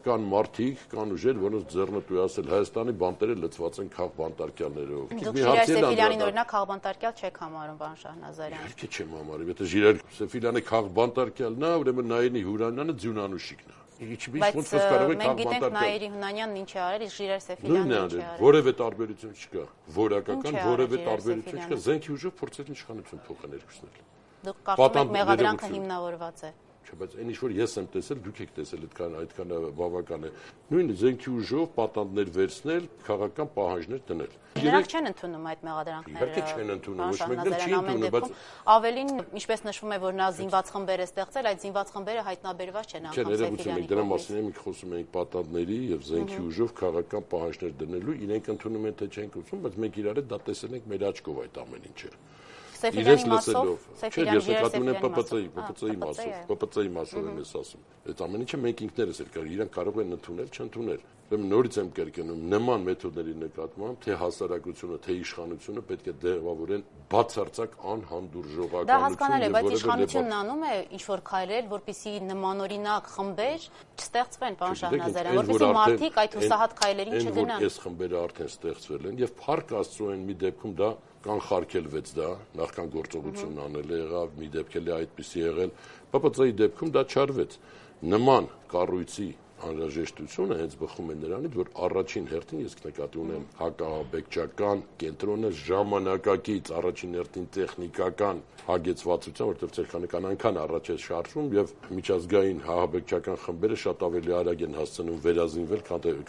կան մարդիկ, կան ուժեր, որոնց ձեռնտու է ասել Հայաստանի բանտերը լցված են քաղ բանտարկյալներով։ Դուք Ժիրայր Սեֆիլյանին օրինակ քաղ բանտարկյալ չեք համարում, պարոն Շահնազարյան։ Իհարկե չեմ համարում, եթե Ժիրայր Սեֆիլյանը քաղ բանտարկյալն է, ուրեմն Նայիրի Հյուրանյանը ձյունանուշիկն է։ Բայց մենք գիտենք Նայիրի Հունանյանն ինչ է արել, իսկ Ժիրայր Սեֆիլյանն ինչ է արել։ Որևէ տարբերություն չկա, որակական որևէ տարբերություն չկա, զենքի ուժով փորձել իշխանություն փոխել երկուսն էլ։ Դուք կարծում եք մեղադրանքը հիմնավորված է։ Չէ, բայց այն ինչ որ ես եմ տեսել, դուք եք տեսել, այդքան բավական է։ Նույն զենքի ուժով պատանդներ վերցնել, քաղաքական պահանջներ դնել։ Նրանք չեն ընդունում այդ մեղադրանքները։ Իհարկե չեն ընդունում, ոչ մեկն չի ընդունում, բայց ավելին, ինչպես նշվում է, որ նա զինված խմբեր է ստեղծել, այդ զինված խմբերը հայտնաբերված չեն անգամ Սեֆիլյանի։ Դրա մասին մենք խոսում ենք պատանդների եւ զենքի ուժով քաղաքական պահանջներ դնելու, իրենք ընդունում են թե չեն ընդունում, բայց մենք իրար հետ դա տեսել ենք մեր աչքով այդ ամեն ինչը։ Սեֆիլյանի մասով, Ես նկատում եմ ՊՊՑ-ի մասով եմ ես ասում։ Այդ ամեն ինչը մենք ինքներս էլ կարող, իրանք կարող են ընդունել, չընդունել։ Ուրեմն նորից եմ կրկնում, նման մեթոդների նկատմամբ թե հասարակությունը, թե իշխանությունը պետք է դեղավորեն բացարձակ անհանդուրժողականություն։ Դա հասկանալի է, բայց իշխանությունն անում է ինչ-որ քայլեր, որպեսզի նմանօրինակ խմբեր չստեղծվեն, պարոն Շահնազարյան, որպեսզի մարդիկ այդ հուսահատ քայլերին չգնան։ Այս խմբերը արդեն ստեղծվել են եւ փառք Աստծո են մի դեպքում դա կանխարգելվեց դա, նախքան գործողությունն անել եղավ, մի դեպք էլ այդպիսի եղել, ՊՊՑ-ի դեպքում դա չարվեց։ Նման կառույցի անհրաժեշտությունը հենց բխում է նրանից, որ առաջին հերթին ես նկատի ունեմ հակահաբեկչական կենտրոնը ժամանակակից առաջին հերթին տեխնիկական հագեցվածության, որտեղ ցեղական այնքան առաջ է շարժվում եւ միջազգային հահաբեկչական խմբերը շատ ավելի արագ են հասցնում վերազինվել,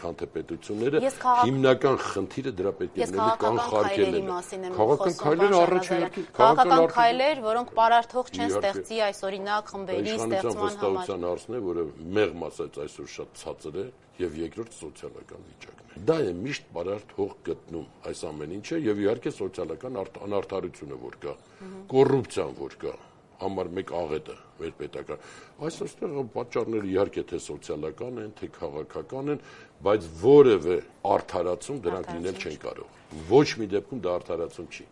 քան թե պետությունները։ Հիմնական խնդիրը դրա պետք է լինի կանխարգելելը։ Քաղաքական քայլեր առաջին հերթին, քաղաքական քայլեր, որոնք պարարթող չեն ստեղծի այս օրինակ խմբերի ստեղծման համար։ Հարցն է, որը մեղմ ասած այսօր շատ ցածր է եւ երկրորդ սոցիալական վիճակն է։ Դա է միշտ պարարթող գտնում այս ամեն ինչը եւ իհարկե սոցիալական անարդարությունը որ կա, կոռուպցիան որ կա, համար մեկ աղետը մեր պետական։ Այսօր պատճառները իհարկե թե սոցիալական են, թե քաղաքական են, բայց որևէ արդարացում դրանք լինել չեն կարող։ Ոչ մի դեպքում դա արդարացում չի։